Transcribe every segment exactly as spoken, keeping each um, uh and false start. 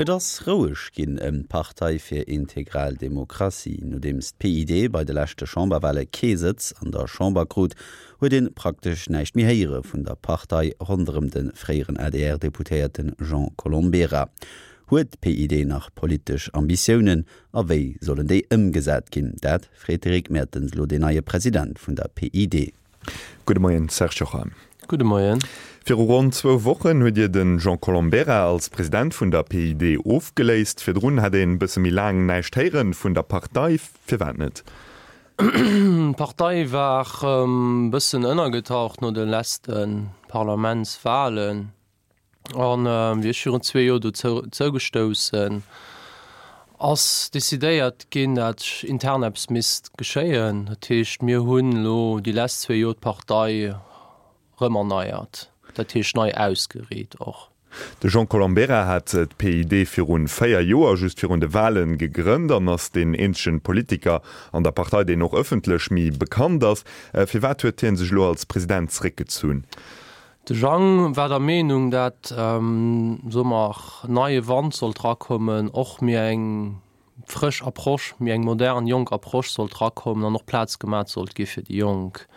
Et ass roueg ginn ëm d'Partei fir integral Demokratie. Nodeems d'PID bei de leschte Chamberwale kee Sëtz an der Chamber krut, huet ee praktesch näischt méi héiere vun der Partei ronderëm de fréieren ADR-Deputéierte Jean Colombera. Huet d'PID nach politesch Ambitiounen a wéi sollen déi ëmgesat ginn? Dat freet de Rick Mertens elo den neie President vun der PID. Gudde Moien, Serge Jochheim. Gudde Moien. Viru ronn zwou Wochen hutt Dir de Jean Colombera als President vun der PID ofgeléist. Virdrun hat een bësse méi laang näischt héiere vun der Partei. Firwat net? D'Partei war e bëssen ënnergetaucht no de leschte Parlamentswalen. An wéi ech virun zwee Joer dozou zougestouss sinn, ass decidéiert ginn, dat intern eppes misst geschéien. Dat heescht, mir hunn elo déi lescht zwee Joer d'Partei rëm erneiert, dat heescht nei ausgeriit och. De Jean Colombera hat d'PID virun véier Joer, just virun de Walen, gegrënnt an ass deen eenzegen Politiker an der Partei, deen och ëffentlech méi bekannt ass. Firwat huet hien sech elo als President zeréckgezunn? De Jang war der Meenung, dat, soe mer, neie Wand sollt rakommen, och méi eng frësch Approche, méi eng modern, jonk Approche sollt rakommen an och Plaz gemat sollt gi fir déi Jonk.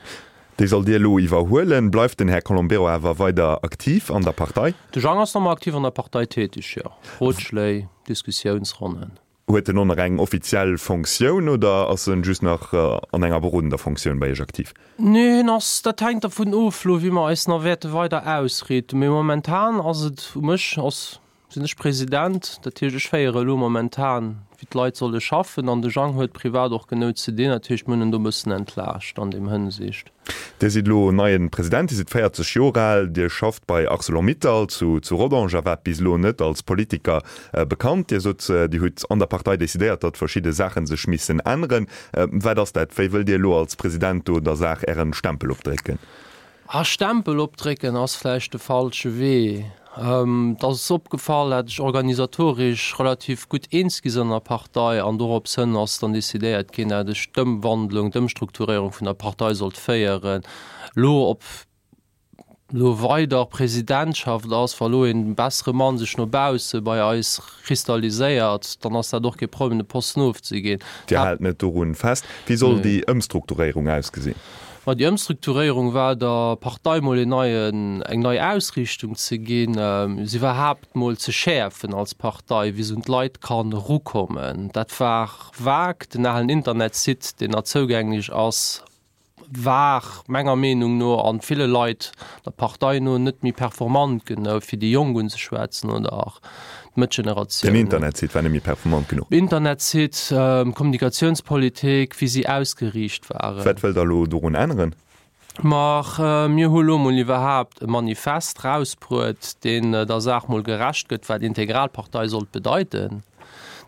Déi sollt Dir elo iwwerhuelen. Bleift den Här Colombero awer weider aktiv an der Partei? De Jang ass nach ëmmer aktiv an der Partei tätig, jo. Rotschléi, Diskussiounsronnen. Huet en och nach eng offiziell Fonctioun oder ass en just nach an enger berodender Fonctioun bei Iech aktiv? Nee, en ass, dat hänkt dervun of elo wéi mer eis nach wäerte weider ausriiten. Mee momentan ass et u mech, ass, sinn ech President, dat heescht ech féiere elo momentan wéi d'Leit solle schaffen an de Jang huet privat och genou ze dinn, dat heescht mir hunn en do e bëssen entlaascht an deem Hënsicht. Dir sidd elo neien President, Dir sidd véierzeg Joer al, Dir schafft bei Arcelor-Mittal zu zu Rodange a waart bis elo net als Politiker bekannt. Dir sot, Dir hutt an der Partei decidéiert, datt verschidde Saache sech missen änneren. Wat ass dat? Wéi wëllt Dir elo als President do der Saach Ären Stempel opdrécken? Ah, Stempel opdrécken ass vläicht de falsche Wee. Et ass opgefall, dat ech organisatoresch relativ gutt eens gi sinn an der Partei an dorops hënn ass dann decidéiert ginn, dat ech d'Ëmwandlung, d'Ëmstrukturéierung vun der Partei sollt féieren. Elo ob elo weider Presidentschaft ass, wa elo een bessere Mann sech no bausse bei eis kristalliséiert, dann ass dat och kee Problem, de Posten ofzeginn. Dir haalt net dorun fest. Wéi soll déi Ëmstrukturéierung ausgesinn? Ma déi Ëmstrukturéierung war der Partei mol een neien, eng nei Ausriichtung ze ginn, se iwwerhaapt mol ze schäerfen als Partei, wéi se un d'Leit kann erukommen. Dat war vag. Den alen Internetsite, deen nach zougänglech ass, war menger Meenung no an ville Leit der Partei no net méi performant genou, fir déi Jonk unzeschwätzen oder d'Mëttgeneratioun. Den Internetsite war net méi performant genuch. Internetsite, Kommunikatiounspolitik, wéi si ausgeriicht waren. Wat wëllt Der elo dorun änneren? Ma mir hu lo mol iwwerhaapt e Manifest rausbruet, deen der Saach mol gerecht gëtt, wat Integralpartei sollt bedeiten.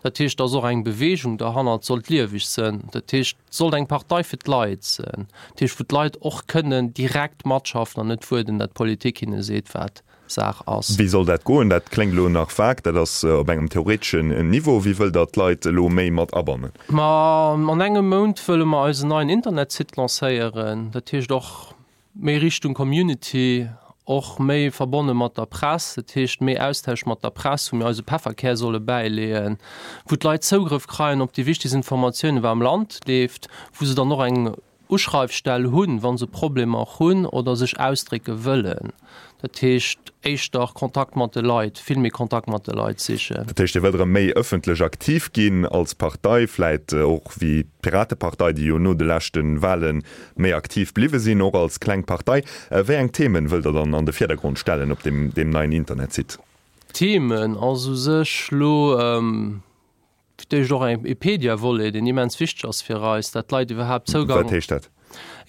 Dat heescht, dass och eng Bewegung derhannert sollt lieweg sënn. Dat heescht, et sollt eng Partei fir d'Leit sënn. Dat heescht, wou d'Leit och kënnen direkt matschaffen an net wuarden, dat d'Politik hinne seet, wat Saach ass. Wéi soll dat goen? Dat kléngt elo nach vag, dat ass op engem theoreteschen Niveau. Wéi wëllt Der d'Leit elo méi mat abannen? Ma an engem Mount wëlle mer eisen neien Internetsite lancéieren. Dat heescht och méi Richtung Community, och méi verbonne mat der Press, dat heescht méi Austausch mat der Press, wou mir eise Pefferkär solle bäileeën, wou d'Leit Zougrëff kreien op déi wichtegst Informatiounen, wat am Land leeft, wou se dann och eng Uschreifstell hunn, wa se Problemer hunn oder sech ausdrécke wëllen. Dat heescht éischter Kontakt mat de Leit, vill méi Kontakt mat de Leit sichen. Dat heescht, Dir wëllt erëm méi ëffentlech aktiv ginn als Partei, vläit och wéi d'Piratepartei, déi jo no de leschte Wale méi aktiv bliwwe sinn, och als kleng Partei. Wéi eng Themen wëllt Der dann an de Virdergrond stellen op deem neien Internetsite? Themen ass u sech lo Fir d'éischt och e Pediavolet, deen immens wichteg ass fir eis, dat d'Leit iwwerhaapt Zougang. Wat heescht dat?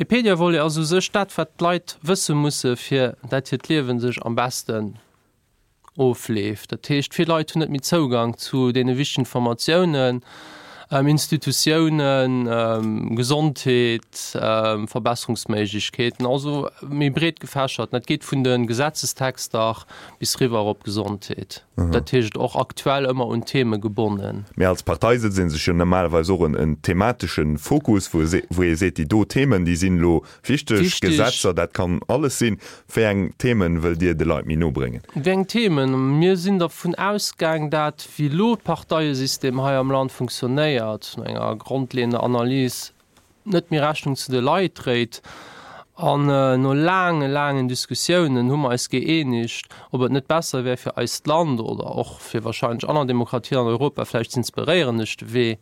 E Pediavolet ass u sech dat, wat d'Leit wësse musse fir dat hiert Liewen sech am beschten ofleeft. Dat heescht, vill Leit hunn net méi Zougang zu deene wichtegen Informatiounen. Institutiounen, Gesondheet, Verbesserungsméiglechkeeten, also méi breet gefächert. Dat geet vun de Gesetzestexter bis riwwer op d'Gesondheet. Dat heescht och aktuell ëmmer un Theme gebonnen. Mee als Partei setzt ee sech jo normalerweis och en thematesche Fokus, wou ee seet, déi do Themen, déi sinn elo wichteg, Gesetzer, dat kann alles sinn. Wéi eng Themen wëllt Dir de Leit méi no bréngen? Wéi eng Themen? Mir sinn dervun ausgaang, dat wéi elo d'Parteiesystem hei am Land funktionéiert, no enger grondleeënder Analys net méi Rechnung zu de Leit dréit. An no laange, laangen Diskussiounen hu mer eis gëeenegt, ob et net besser wär fir eist Land oder och fir wahrscheinlech aner Demokratien an Europa vläicht z'inspiréieren duerch de Wee,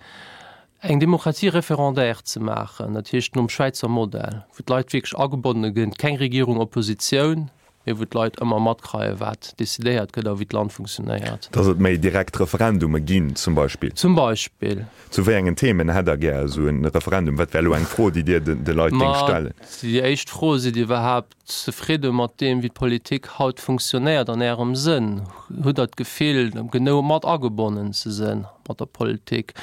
eng Demokratie référendaire ze maachen, dat heescht nom Schwäizer Modell, wou d'Leit wierklech agebonne ginn, keng Regierung, Oppositioun, mee wou d'Leit ëmmer matkreien, wat decidéiert gëtt a wéi d'Land funktionéiert. Dass et méi direkt Referendume ginn, zum Beispill? Zum Beispill. Zu wéi engen Themen hätt Der gär esou e Referendum? Wat wär elo eng Fro, déi Dir de Leit géingt stellen? Ma déi éischt Fro, Sidd Dir iwwerhaapt zefridde mat deem, wéi d'Politik haut funktionéiert an Ärem Sënn? Hutt Der d'Gefill, genou mat agebonnen ze sënn mat der Politik?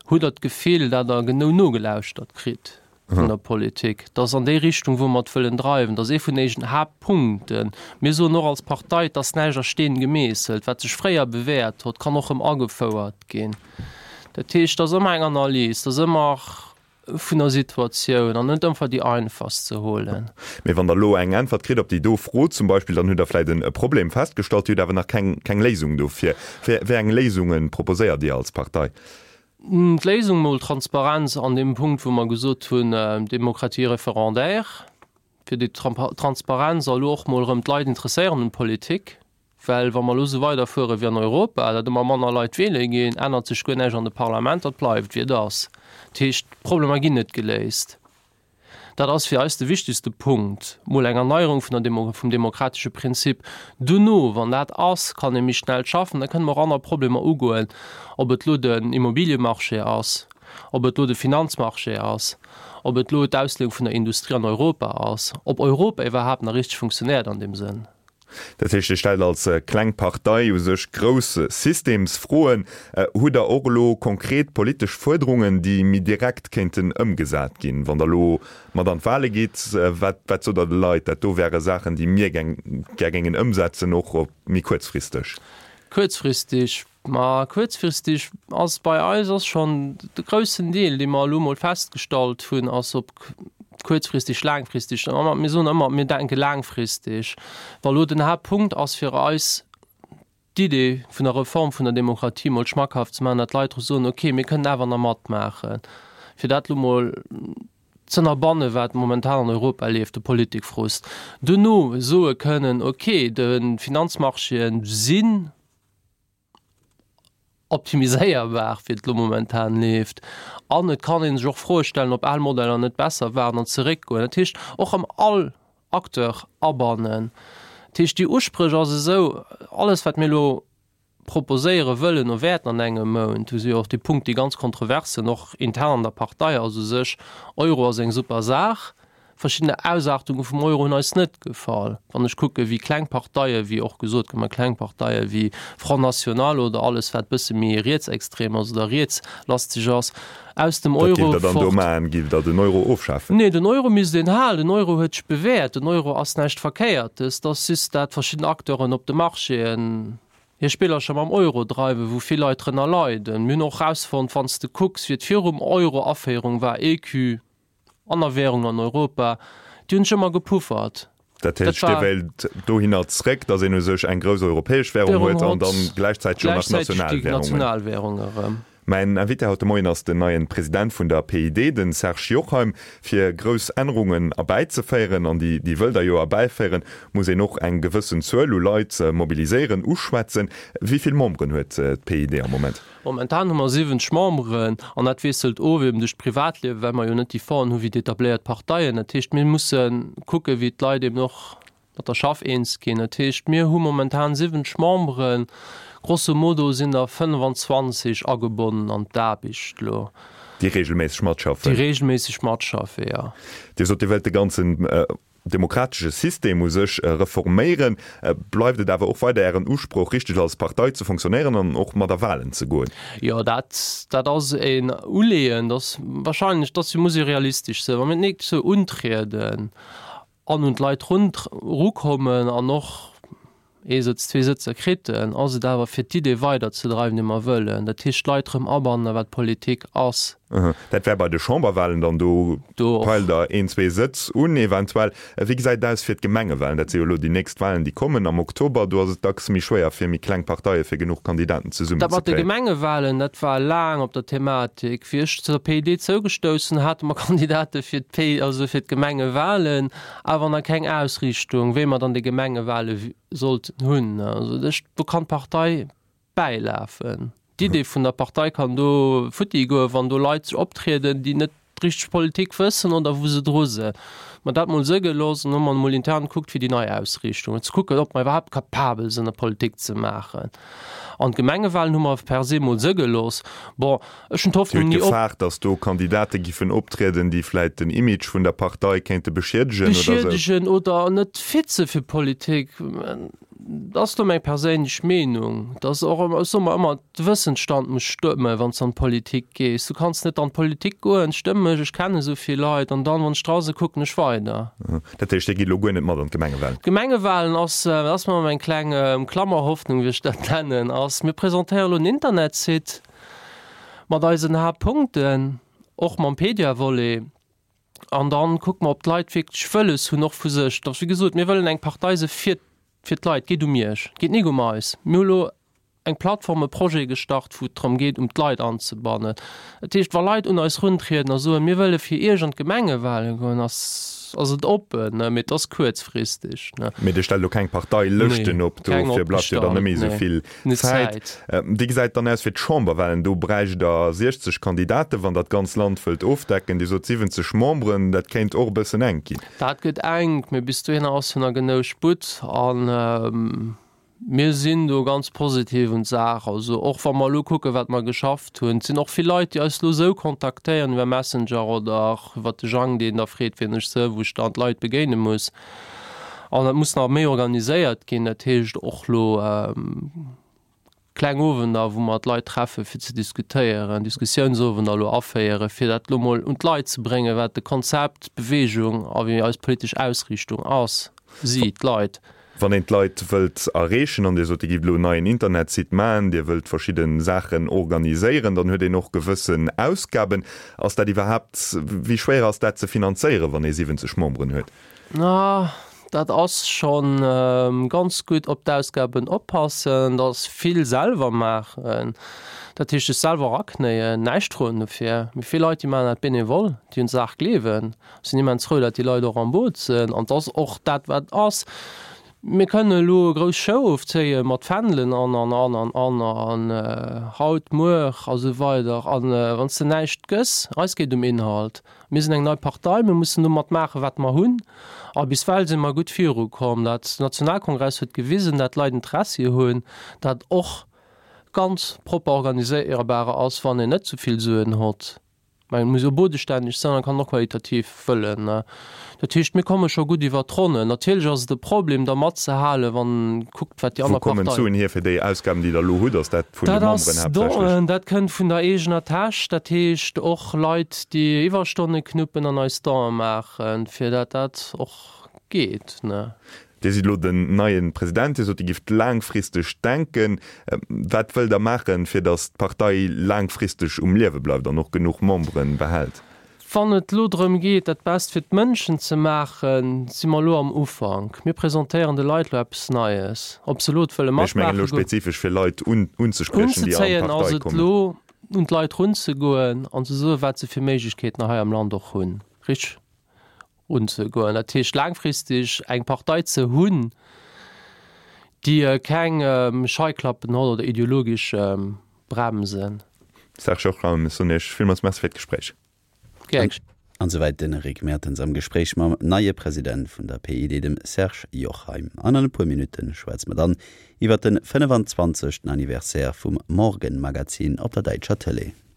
Hutt Der d'Gefill, dat Der genou nogelauschtert kritt vun der Politik? Dat ass an déi Richtung, wou mer et wëllen dreiwen. Dat ass ee vun éischen Haaptpunkten. Mir soen och als Partei, et ass näischt a Steen gemeesselt. Wat sech fréier bewäert hott, kann och erëm agefouert ginn. Dat heescht, et ass ëmmer eng Analys, et ass ëmmer vun der Situatioun an net ëmfer déi einfachst ze holen. Mee wann Der elo eng Äntwert kritt op déi do Fro zum Beispill, dann hutt Der vläicht e Problem festgestallt, Dir hutt awer nach keng keng Léisung dofir. Wéi eng Léisunge proposéiert Dir als Partei? D'Léisung, mol Transparenz an deem Punkt, wou mer gesot hunn, Démocratie référendaire, fir déi Transparenz a lo och mol erëm d'Leit interesséieren un d'Politik, well wa mer elo esou weiderfuere wéi an Europa, datt ëmmer manner Leit wiele ginn, ännert sech guer näischt an de Parlamenter, et bleift wéi et ass. Dat heescht, d'Problemer ginn net geléist. Dat ass fir eis de wichtegste Punkt, mol eng Erneierung vun der Demo vum demokratesche Prinzip. Duerno, wann dat ass, kann ee méi schnell schaffen, da kënne mer och aner Problemer ugoen, ob et elo den Immobiliemarché ass, ob et elo de Finanzmarché ass, ob et elo d'Ausleeung vun der Industrie an Europa ass, ob Europa iwwerhaapt nach richteg funktionéiert an deem Sënn. Dat heescht, Dir stellt als kleng Partei u sech grouss Systemsfroen. Hutt Der och elo konkret politesch Fuerderungen, déi méi direkt kéinten ëmgesat ginn, wann Der elo mat an d'Wale gitt? Wat, wat sot Der de Leit, dat do wäre Saachen, déi mir gär géingen ëmsetzen, och méi kuerzfristeg? Kuerzfristeg, ma kuerzfristeg ass bei eis ass schonn de groussen Deel, dee mer elo mol festgestallt hunn, ass op kuerzfristeg, laangfristeg, mir soen ëmmer, mir denke laangfristeg. Wa elo den Haaptpunkt ass fir eis d'Idee vun der Reform vun der Demokratie mol schmackhaft ze maachen, datt d'Leit dru soen, okay, mir kënnen awer nach matmaachen, fir dat elo mol z'ënnerbanne wat momentan an Europa leeft, de Politikfrust. Duerno soe kënnen, okay, de Finanzmarchéen sinn optimiséierbar, wéi et elo momentan leeft. An et kann ee sech och Froe stellen, ob al Modeller net besser waren an zeréckgoen. Dat heescht, och erëm all Acteur abannen. Dat heescht, déi Uspréch ass esou, alles wat mir elo proposéiere wëllen o wäerten an engem Mount, do si jo och déi Punkte, déi ganz kontrovers sinn, och intern an der Partei, ass u sech, Euro ass eng super Saach, Verschiddene Ausaartunge vum Euro hunn eis net gefall. Wann ech kucke wéi kleng Parteie wéi och gesot gëtt, mä kleng Parteie wéi Front National oder alles wat bësse méi rietsextrem ass oder rietslasteg ass, aus dem Wat Euro géift Der dann do fort. maachen? Géift Der den Euro ofschafen? Nee, den Euro misst een halen. Den Euro huet sech bewäert. Den Euro ass näischt Verkéiertes. Et ass just dat verschidden Acteuren op de Marchéen hir Spillercher mam Euro dreiwen, wou vill Leit drënner leiden. Mir hunn och erausfonnt, wann s de kucks wéi et virum Euro-Aféierung war, Ecu, Aner Währungen an Europa, déi hunn sech ëmmer gepuffert. Dat heescht, Dir wéilt dohinner zréck, datt een u sech eng grouss europäesch Währung huet an dann gläichzäiteg och nach national Währungen. Nationalwährung erëm. Mäin Invité haut de Moien ass den neien President vun der P I D, den Serge Jochheim. Fir grouss Ännerungen erbäizeféieren, an déi déi wëllt Der jo erbäiféieren, muss een och eng gewëssen Zuel u Leit mobiliséieren, uschwätzen. Wéi vill Memberen huet d'P I D am Moment? Momentan hu mer siwwenzeg Memberen an dat wiesselt of eben duerch d'Privatliewen, well mer jo net déi Fongen hu wéi déi etabléiert Parteien. Dat heescht, mir musse kucke wéi d'Leit eben och mat der Schaff eens ginn. Dat heescht, mir hu momentan siwwenzeg Memberen, grosso modo sinn der fënnefanzwanzeg agebonnen an d'Aarbecht elo. Déi regelméisseg matschaffen? Déi regelméisseg matschaffe, jo. Dir sot, Dir wëllt de ganzen demokratesche System u sech reforméieren. Bleift et awer och weider Ären Usproch, richteg als Partei ze fonctionnéieren an och mat a Wahlen ze goen? Jo, dat, dat ass een Uleeën, dat wahrscheinlech, dat muss ee realistesch sinn, wa mir d'nächst Joer untrieden an un d'Leit rukommen an och ee Sëtz, zwee Sëtzer kriten, ass et awer fir d'Idee weiderzedreiwen, déi mer wëllen. Dat heescht d'Leit erëm abannen, wat Politik ass. Dat wär bei de Chamberwahlen dann, do peilt Der een, zwee Sëtz un eventuell. Wéi gesäit et aus fir d'Gemengewahlen? Dat si jo elo déi nächst Wahlen, déi kommen am Oktober. Do ass et dacks méi schwéier fir méi kleng Parteie fir genuch Kandidaten zesummen ze kréien. Dat mat de Gemengewahlen, dat war laang op der Thematik. Wéi ech zur P I D zougestouss sinn, hate mer Kandidate fir d'P, also fir d'Gemengewahlen, awer nach keng Ausriichtung, wéi mer dann déi Gemengewahle sollten hunn. Also do kann d'Partei bäilafen. D'Idee vun der Partei kann do futti goen, wann do Leit sech optrieden, déi net richteg Politik wëssen oder wou se dru sinn. Mer dat mol së gelooss an hu mer mol intern gekuckt fir déi nei Ausriichtung, ze kucken, ob mer iwwerhaapt capabel sinn, Politik ze maachen. An d'Gemengewahlen hu mer per se mol së gelooss. Bon, ech hunn d'Hoffnung ni op. Dir hutt gefaart, datt do Kandidate giffen optrieden, déi vläit den Image vun der Partei kéinte beschiedegen oder esou? Beschiedegen oder net fit si fir Politik. Dat ass lo meng perséinlech Meenung, dass och ëmmer, ech soe mer ëmmer, de Wëssensstand muss stëmmen, wann s de an d'Politik gees. Du kanns net an d'Politik goen, stëmm mech, ech kennen esou vill Leit, an dann, wann ech dra sinn, kucken ech weider. Dat heescht, Dir gitt elo guer net mat an d'Gemengewalen? D'Gemengewalen ass, dat ass mer meng kleng Klammerhoffnung, wéi ech dat nennen, ass, mir presentéiere lo en Internetsite mat eisen Haaptpunkten, och mam Pedia-Volet, an dann kucke mer, ob d'Leit wierklech wëlles hunn, och vu sech, dass, wéi gesot, mir wëllen eng Partei si fir Fir d'Leit, geet um Iech, geet nik um eis. Mir hu lo eng Plattform, e Projet gestart, wou et drëm geet, um d'Leit anzebannen. Dat heescht, wa Leit un eis runtrieden a soen, mir wëlle fir Iech an d'Gemengewahlen goen, ass ass et oppen, ne, mee et ass kuerzfristeg, ne. Mee Dir stellt elo keng Parteilëschten op, Nee, keng dofir bleift jo dann opgestallt, net méi esou nee, vill net Zäit. Zäit. Wéi gesäit et dann aus fir d'Chamberwahlen? Do bräicht Der siechzeg Kandidaten, wann Der d'ganz Land wëllt ofdecken. Dir sot siwwenzeg Memberen, dat kéint och e bëssen enk ginn. Dat gëtt enk, mee bis dohinner ass jo nach genou Sputt a mir sinn do ganz positiv un d'Saach. Also och wa mer elo kucken, wat mer geschafft hunn, et sinn och vill Leit, déi eis elo esou kontaktéieren iwwer Messenger oder iwwer de Jang, deen da freet, wien ech së, wou ech dann d'Leit begéine muss. An dat muss nach méi organiséiert ginn, dat heescht och elo, Kleng Owender, wou mer d'Leit treffe fir ze diskutéieren, Diskussiounsowender elo aféieren, fir dat elo mol un d'Leit ze bréngen, wat de Konzept, d'Bewegung a wéi eis politesch Ausriichtung ass, si, d'Leit. Wann een d'Leit wëllt erreechen, an Dir sot, Dir gift elo en neien Internetsite maachen, Dir wëllt verschidde Saachen organiséieren, dann huet een och gewëssen Ausgaben. Ass dat iwwerhaapt, wéi schwéier ass dat ze finanzéieren, wann ee siwwenzeg Memberen huet? Dat ass scho ganz gutt op d'Ausgaben oppassen, dat vill selwer maachen, dat heescht sech selwer eraknéien, näischt froen dofir. Mee vill Leit déi maachen dat bénévol, déi un d'Saach gleewen. Ech sinn immens frou, dat déi Leit och am Boot sinn an 't ass och dat wat ass. Mir kënnen elo e grouss Show ofzéie mat Fändelen an an an an an an haut, muer a sou weider an wann s de näischt gëss, eis geet um Inhalt. Mir sinn eng nei Partei, mir mussen domat maachen, wat mer hunn. A biswell si mer gutt virukomm. Dat Nationalkongress huet gewisen, dat d'Leit Interessi hunn, dat och ganz propper organiséierbar ass, wann een net zu vill Suen hott. Mä et muss jo bodestänneg sinn an kann och qualitativ wëllen. Dat heescht, mir komme scho gutt iwwert d'Ronnen. Natierlech ass et e Problem, da matzehalen, wann kuckt, wat déi Wou aner kommen Parteien. d'Suen hier fir déi Ausgaben, déi Der elo hutt? Ass dat vun de Dat Memberen ass haaptsächlech? Donen, dat kënnt vun der eegener Täsch. Dat heescht och Leit, déi Iwwerstonne knuppen an eis Donë maachen, fir dat dat och geet, ne. Dir sidd elo den neie President. Dir sot, Dir gifft laangfristeg denken. Wat wëllt Der maachen, fir datt d'Partei laangfristeg um Liewe bleift an och genuch Membere behält? Wann et elo drëm geet, dat Best fir d'Mënschen ze maachen, si mer elo am Ufank. Mir presentéieren de Leit elo eppes Neies. Ob se elo et wëlle Mee ech mengen matmaachen, elo go. spezifesch fir Leit unzespriechen, déi an Unzezéien ass d'Partei et kommen. elo, un d'Leit runzegoen an ze soen, wat se fir Méiglechkeeten hei am Land och hunn, richteg unzegoen. Dat heescht, laangfristeg eng Partei ze hunn, déi keng Scheiklappen huet oder ideologesch Bremsen. Serge Hochraum, ech soen Iech villmools Merci fir d'Gespréich. Gär geschéngt. An souwäit den Rick Mertens am Gespréich mam neie President vun der P I D, dem Serge Jochheim. An an e puer Minutte schwätze mer dann iwwer den fënnefenzwanzegsten Anniversaire vum Morgenmagazin op der däitscher Tëlee.